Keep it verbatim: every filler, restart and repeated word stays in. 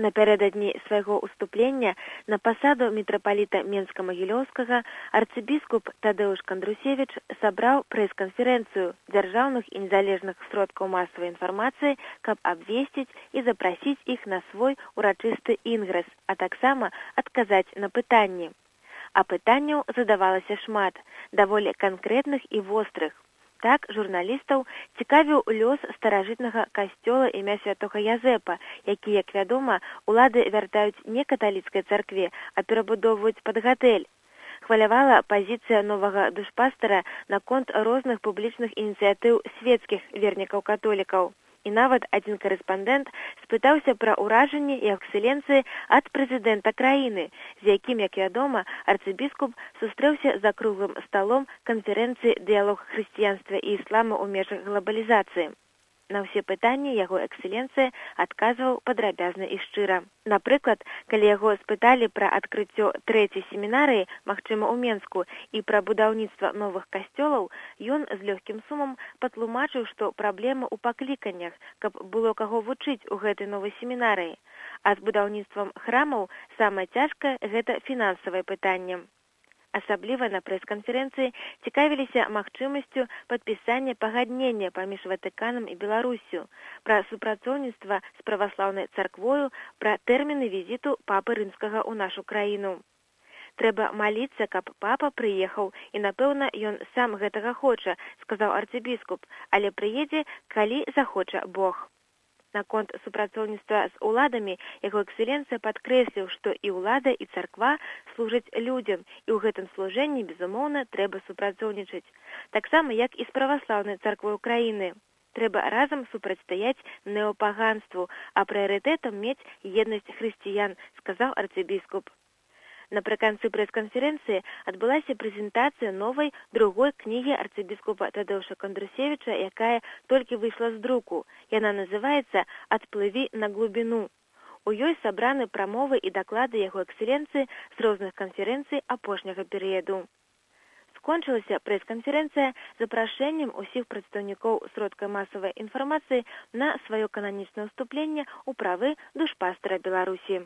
Напярэдадні свайго ўступлення на пасаду мітрапаліта Менска-Магілёўскага арцыбіскуп Тадэуш Кандрусевіч сабраў прэс-канферэнцыю дзяржаўных і незалежных сродкаў масавай інфармацыі, каб абвесціць і запрасіць іх на свой урачысты інгрэс, а таксама адказаць на пытанні. А пытанняў задавалася шмат, даволі канкрэтных і вострых. Так, журналістаў цікавіў лёс старажытнага касцёла імя святога Язэпа, які, як вядома, улады вяртаюць не каталіцкай царкве, а перабудоўваюць пад гатэль. Хвалявала пазіцыя новага душпастара наконт розных публічных ініцыятыў свецкіх вернікаў-католікаў. І нават адзін карэспандэнт спытаўся пра ўражанні і эксцэленцыі ад прэзідэнта краіны, з якім, як вядома, арцыбіскуп сустрэўся за круглым сталом канферэнцыі «Дыялог хрысціянства і іслама ў межах глабалізацыі». На ўсе пытанні яго эксцэленцыя адказваў падрабязна і шчыра. Напрыклад, калі яго спыталі пра адкрыццё трэцяй семінарыі, магчыма, у Менску, і пра будаўніцтва новых касцёлаў, ён з лёгкім сумам патлумачыў, што праблема ў пакліканнях, каб было каго вучыць у гэтай новай семінарыі. А з будаўніцтвам храмаў самае цяжкае – гэта фінансавае пытанне. Асабліва на прэс-канферэнцыі цікавіліся магчымасцю падпісання пагаднення паміж Ватыканам і Беларуссю, пра супрацоўніцтва з праваслаўнай царквою, пра тэрміны візіту папы рымскага ў нашу краіну. Трэба маліцца, каб папа прыехаў, і, напэўна, ён сам гэтага хоча, сказаў арцыбіскуп, але прыедзе, калі захоча Бог. Наконт супрацоўніцтва з уладамі яго эксцэленцыя падкрэсліў, што і ўлада, і царква служаць людзям, і ў гэтым служэнні, безумоўна, трэба супрацоўнічаць. Таксама, як і з праваслаўнай царквой краіны. Трэба разам супрацьстаяць неапаганству, а прыярытэтам мець еднасць хрысціян, сказаў арцыбіскуп. Напрыканцы прэс-канферэнцыі адбылася прэзентацыя новай другой кнігі арцыбіскупа Тадэуша Кандрусевіча, якая толькі выйшла з друку. Яна называецца «Адплыві на глубіну». У ёй сабраны прамовы і даклады яго эксцэленцыі з розных канферэнцый апошняга перыяду. Скончылася прэс-канферэнцыя запрашэннем усіх прадстаўнікоў сродкаў масавай інфармацыі на сваё кананічнае ўступленне ў правы душпастара Беларусі.